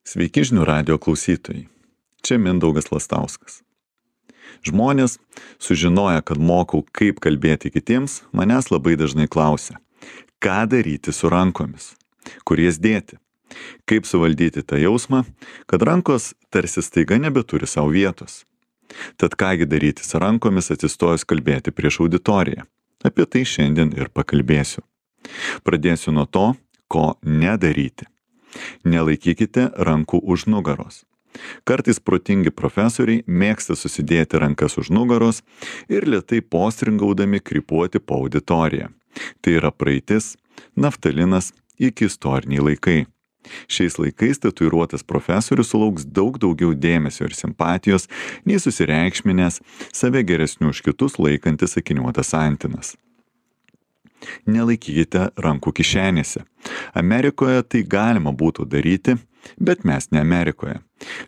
Sveiki žinių radijo klausytojai. Čia Mindaugas Lastauskas. Žmonės, sužinoję, kad mokau, kaip kalbėti kitiems, manęs labai dažnai klausia, ką daryti su rankomis, kur jas dėti, kaip suvaldyti tą jausmą, kad rankos tarsi staiga nebeturi savo vietos. Tad kągi daryti su rankomis atsistojus kalbėti prieš auditoriją. Apie tai šiandien ir pakalbėsiu. Pradėsiu nuo to, ko nedaryti. Nelaikykite rankų už nugaros. Kartais protingi profesoriai mėgsta susidėti rankas už nugaros ir lėtai postringaudami krypuoti po auditoriją. Tai yra praeitis, naftalinas iki istoriniai laikai. Šiais laikais tatuiruotas profesorius sulauks daug daugiau dėmesio ir simpatijos, nei susireikšminęs, save geresniu už kitus laikantis akiniuotas antinas. Nelaikykite rankų kišenėse. Amerikoje tai galima būtų daryti, bet mes ne Amerikoje.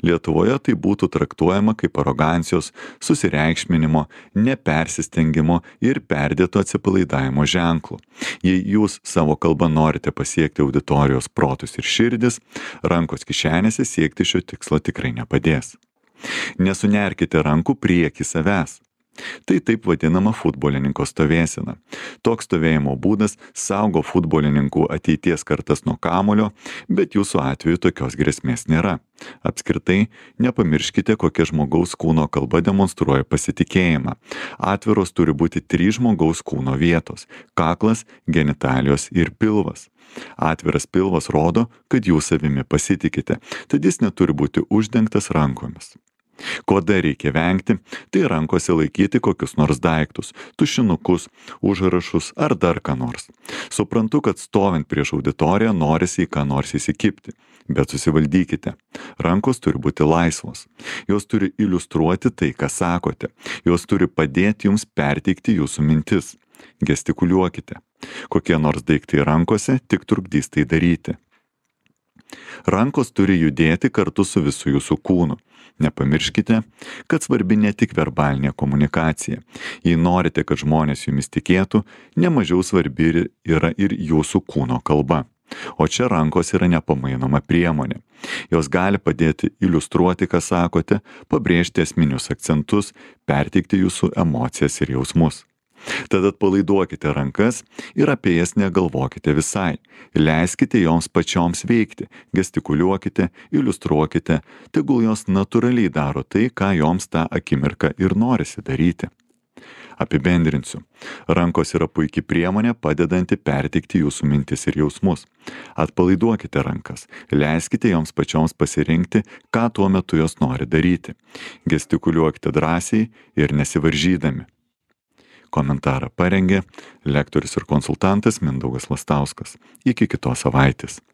Lietuvoje tai būtų traktuojama kaip arogancijos, susireikšminimo, nepersistengimo ir perdėto atsipalaidavimo ženklų. Jei jūs savo kalbą norite pasiekti auditorijos protus ir širdis, rankos kišenėse siekti šio tikslo tikrai nepadės. Nesunerkite rankų prieki savęs. Tai taip vadinama futbolininko stovėsena. Toks stovėjimo būdas saugo futbolininkų ateities kartas nuo kamuolio, bet jūsų atveju tokios grėsmės nėra. Apskritai, nepamirškite, kokia žmogaus kūno kalba demonstruoja pasitikėjimą. Atviros turi būti 3 žmogaus kūno vietos – kaklas, genitalijos ir pilvas. Atviras pilvas rodo, kad jūs savimi pasitikite, tad jis neturi būti uždengtas rankomis. Ko dar reikia vengti, tai rankose laikyti kokius nors daiktus, tušinukus, užrašus ar dar ką nors. Suprantu, kad stovint prieš auditoriją norisi į ką nors įsikibti, bet susivaldykite. Rankos turi būti laisvos. Jos turi iliustruoti tai, ką sakote. Jos turi padėti jums perteikti jūsų mintis. Gestikuliuokite. Kokie nors daiktai rankose tik trukdys tai daryti. Rankos turi judėti kartu su visu jūsų kūnu. Nepamirškite, kad svarbi ne tik verbalinė komunikacija. Jei norite, kad žmonės jumis tikėtų, nemažiau svarbi yra ir jūsų kūno kalba. O čia rankos yra nepamainoma priemonė. Jos gali padėti iliustruoti, ką sakote, pabrėžti esminius akcentus, perteikti jūsų emocijas ir jausmus. Tad atpalaiduokite rankas ir apie jas negalvokite visai. Leiskite joms pačioms veikti, gestikuliuokite, iliustruokite, tegul jos natūraliai daro tai, ką joms tą akimirką ir norisi daryti. Apibendrinsiu. Rankos yra puikiai priemonė padedanti perteikti jūsų mintis ir jausmus. Atpalaiduokite rankas, leiskite joms pačioms pasirinkti, ką tuo metu jos nori daryti. Gestikuliuokite drąsiai ir nesivaržydami. Komentarą parengė lektorius ir konsultantas Mindaugas Lastauskas. Iki kitos savaitės.